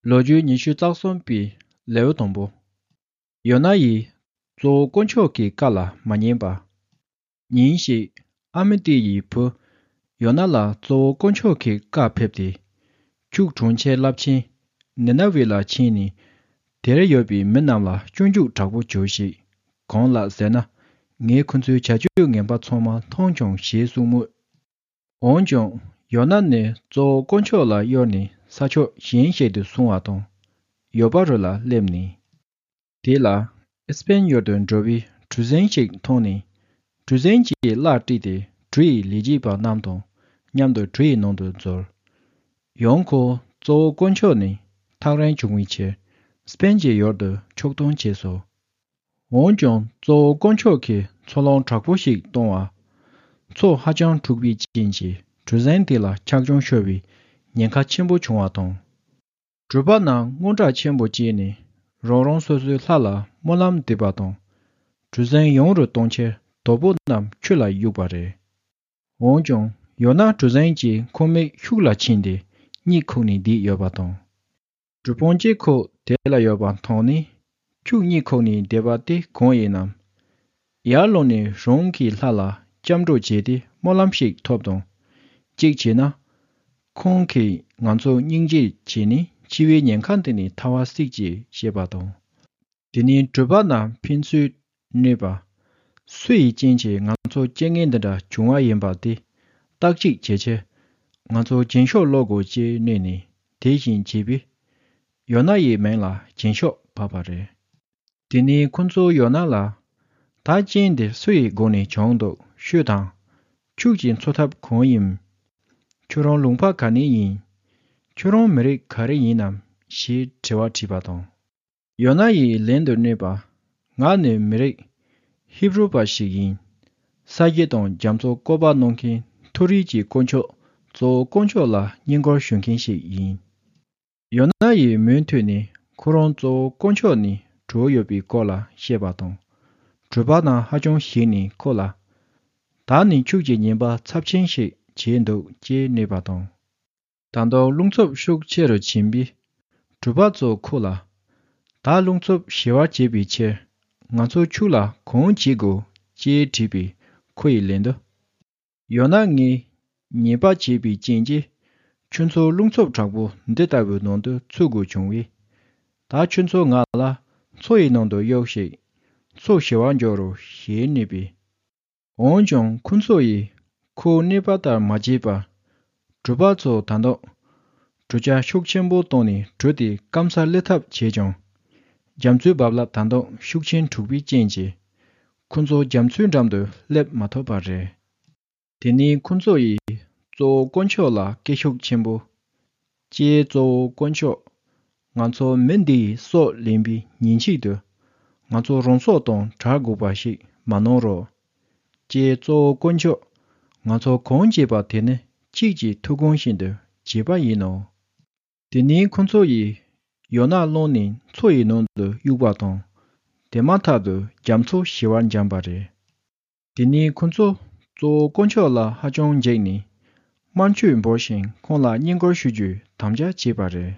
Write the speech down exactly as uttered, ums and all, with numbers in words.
ལོ་རྒྱུས་ཉི་ཤུ་རྩ་གསུམ་པའི་ལེའུ་དང་པོ། ཡོ་ན་ཡིས་གཙོ་བོ་དཀོན་མཆོག་གི་བཀའ་ལ་མ་ཉན་པ། ཉིན་ཞིག་ཨ་མི་ཏི་ཡི་བུ་ཡོ་ན་ལ་གཙོ་བོ་དཀོན་མཆོག་གི་བཀའ་ཕེབས་ཏེ། ཁྱུག་གྲོང་ཁྱེར་རླབས་ཆེན་ནི་ན་ཝེ་ལ་ཕྱིན་ནས། དེར་ཡོད་པའི་མི་རྣམས་ལ་སྤྱོད་འཇུག་དྲག་པོ་བྱོས་ཤིག། གང་ལགས་ཟེར་ན། ངས་ཁོ་ཚོའི་བྱ་སྤྱོད་ངན་པ་ཚང་མ་མཐོང་བྱུང་ཞེས་གསུངས་མོད། འོན་ཀྱང་ཡོ་ན་ནི་གཙོ་བོ་དཀོན་མཆོག་ལ་གཡོལ་ནས་ས་ཕྱོགས་གཞན་ཞིག་ཏུ་སོང་བ་དང་། ཡོ་པ་རུ་ལ་སླེབས་ནས། དེ་ལ་ཨེ་སྤེན་ཡུལ་དུ་འགྲོ་བའི་གྲུ་གཟིངས་ཤིག་མཐོང་ནས། གྲུ་གཟིངས་ཀྱི་གླ་བཀྲུས་ཏེ་གྲུ་ཡི་ལས་བྱེད་པ་རྣམས་དང་མཉམ་དུ་གྲུ་ཡི་ནང་དུ་འཛུལ། ཡང་ཁོ་གཙོ་བོ་དཀོན་མཆོག་ནི་ཐག་རིང་བྱུང་བའི་ཕྱིར་སྤེན་གྱི་ཡུལ་དུ་ཕྱོགས་གཏོང་བྱས་སོ། འོན་ཀྱང་གཙོ་བོ་དཀོན་མཆོག་གིས་འཚོ་རླུང་དྲག་པོ་ཞིག་གཏོང་བ། མཚོ་ཧ་ཅང་འཁྲུགས་པའི་རྐྱེན་གྱིས་གྲུ་གཟིངས་དེ་ལ་འཁྱགས་ལྗང་ཤོར་བའི་ཉེན་ཁ་ཆེན་པོ་བྱུང་བ་དང་། གྲུ་པ་རྣམས་དངངས་སྐྲག་ཆེན་པོ་སྐྱེས་ནས་རང་རང་སོ་སོའི་ལྷ་ལ་སྨོན་ལམ་འདེབས་པ་དང་། གྲུ་གཟིངས་ཡུན་རིང་གཏོང་ཕྱིར་དོ་པོ་རྣམས་ཆུ་ལ་གཡུགས་པ་རེད། འོན་ཀྱང་ཡོ་ན་གྲུ་གཟིངས་ཀྱི་ཁོག་མིག་ཤུགས་ལ་ཕྱིན་ཏེ་གཉིད་ཁུག་ནས་བསྡད་ཡོད་པ་དང་། གྲུ་དཔོན་གྱིས་ཁོ་དེ་ལ་ཡོད་པ་མཐོང་ནས། ཁྱོད་གཉིད་ཁུག་ནས་བསྡད་པ་དེ་གང་ཡིན་ནམ། ཡར་ལོངས་ནས་རང་གི་ལྷ་ལ་སྐྱབས་འགྲོ་བྱས་ཏེ་སྨོན་ལམ་ཞིག་ཐོབ་དང་། གཅིག་བྱས་ན། ཁོང་གིས་ང་ཚོ་སྙིང་རྗེ་བྱས་ནས་འཆི་བའི་ཉེན་ཁ་འདི་ནས་ཐར་བ་སྲིད་ཅེས་བཤད་པ་དང་། དེ་ནས་གྲུ་པ་རྣམས་ཕན་ཚུན་གནོད་པ། སུ་ཡི་རྐྱེན་གྱིས་ང་ཚོ་རྐྱེན་ངན་འདི་འདྲ་བྱུང་བ་ཡིན་པ་དེ་བརྟག་དཔྱད་བྱེད་ཕྱིར། ང་ཚོ་རྒྱན་ཤོག་ཀློག་དགོས་ཅེས་སྨྲས་ནས་དེ་བཞིན་བྱས་པས། ཡོ་ན་ཡི་མིང་ལ་རྒྱན་ཤོག་བབས་པ་རེད། དེ་ནས་ཁོ་ཚོས་ཡོ་ན་ལ། ད་རྐྱེན་འདི་སུ་ཡི་སྒོ་ནས་བྱུང་འདུག་ཤོད་དང་། ཁྱོད་ཀྱི་འཚོ་ཐབས་གང་ཡིན། ཁྱོད་རང་ལུང་པ་ག་ནས་ཡིན། ཁྱོད་རང་མི་རིགས་ག་རེ་ཡིན་ནམ་ཞེས་དྲི་བ་དྲིས་པ་དང་། ཡོ་ན་ཡིས་ལན་དུ་སྨྲས་པ། ང་ནི་མི་རིགས་ཧི་བྷུ་རུ་པ་ཞིག་ཡིན། ས་སྐྱེས་དང་རྒྱ་མཚོ་བཀོད་པ་གནང་མཁན་མཐོ་རིས་ཀྱི་དཀོན་མཆོག་གཙོ་བོ་དཀོན་མཆོག་ལ་བསྙེན་བཀུར་ཞུ་མཁན་ཞིག་ཡིན། ཡོ་ན་ཡིས་མུ་མཐུད་ནས་ཁོ་རང་གཙོ་བོ་དཀོན་མཆོག་ནས་གྲོལ་ཡོད་པའི་སྐོར་ལ་བཤད་པ་དང་། གྲུ་པ་རྣམས་ཧ་ཅང་ཞེད་ནས་ཁོ་ལ། ད་ནི་ཁྱོད་ཀྱིས་ཉེས་པ་ཚབས་ཆེན་ཞིག་བྱས་འདུག་ཅེས་སྨྲས་པ་དང་། ད་དུང་རླུང་འཚུབ་ཤུགས་ཆེ་རུ་ཕྱིན་པས། གྲུ་པ་ཚོས་ཁོ་ལ། ད་རླུང་འཚུབ་ཞི་བར་བྱེད་པའི་ཕྱིར། ང་ཚོ་ཁྱོད་ལ་གང་བྱེད་དགོས་ཅེས་དྲིས་པས་ཁོ་ཡིས་ལན་དུ། ཡང་ན་ངས་ཉེས་པ་བྱས་པའི་རྐྱེན་གྱིས་ཁྱོད་ཚོ་རླུང་འཚུབ་དྲག་པོ་འདི་ལྟ་བུའི་ནང་དུ་ཚུད་དགོས་བྱུང་བས། ད་ཁྱོད་ཚོ་ང་ལ་མཚོ་ཡི་ནང་དུ་གཡུགས་ཤིག། མཚོ་ཞི་བར་འགྱུར་རོ་ཞེས་སྨྲས་པས། འོན་ཀྱང་ཁོ་ཚོ་ཡིས་ཁོའི་སྨྲས་པ་ལྟར་མ་བྱས་པར། གྲུ་པ་ཚོས་ད་དུང་གྲུ་ཆ་ཤུགས་ཆེན་པོ་བཏང་ནས་གྲུ་དེ་སྐམ་སར་སླེབས་ཐབས་བྱས་ཀྱང་། རྒྱ་མཚོའི་རྦབ་རླབས་ད་དུང་ཤུགས་ཆེན་འཁྲུགས་པའི་རྐྱེན་གྱིས། ཁོ་ཚོ་རྒྱ་མཚོའི་འགྲམ་དུ་སླེབས་མ་ཐུབ་པ་རེད། དེ་ནས་ཁོ་ཚོ་ཡིས་གཙོ་བོ་དཀོན་མཆོག་ལ་སྐད་ཤུགས་ཆེན་པོས། ཀྱེ་གཙོ་བོ་དཀོན་མཆོག་ང་ཚོ་མི་འདི་ཡི་སྲོག་ལེན་པའི་ཉིན་ཞིག་ཏུ། ང་ཚོ་རང་སྲོག་དང་བྲལ་དགོས་པ་ཞིག་མ་གནང་རོགས། ཀྱེ་གཙོ་བོ་དཀོན་མཆོག་ང་ཚོ་གང་བྱས་པ་དེ་ནི་ཁྱེད་ཀྱི་ཐུགས་དགོངས་བཞིན་དུ་བྱས་པ་ཡིན་ནོ། དེ་ནས་ཁོ་ཚོ་ཡིས་ཡོ་ན་བླངས་ནས་མཚོ་ཡི་ནང་དུ་གཡུགས་པ་དང་། དེ་མ་ཐག་ཏུ་རྒྱ་མཚོ་ཞི་བར་འགྱངས་པ་རེད། དེ་ནས་ཁོ་ཚོ་གཙོ་བོ་དཀོན་མཆོག་ལ་ཧ་ཅང་འཇིགས་ནས། དམར་མཆོད་འབུལ་ཞིང་ཁོང་ལ་བསྙེན་བཀུར་ཞུ་རྒྱུའི་དམ་བཅའ་བྱས་པ་རེད།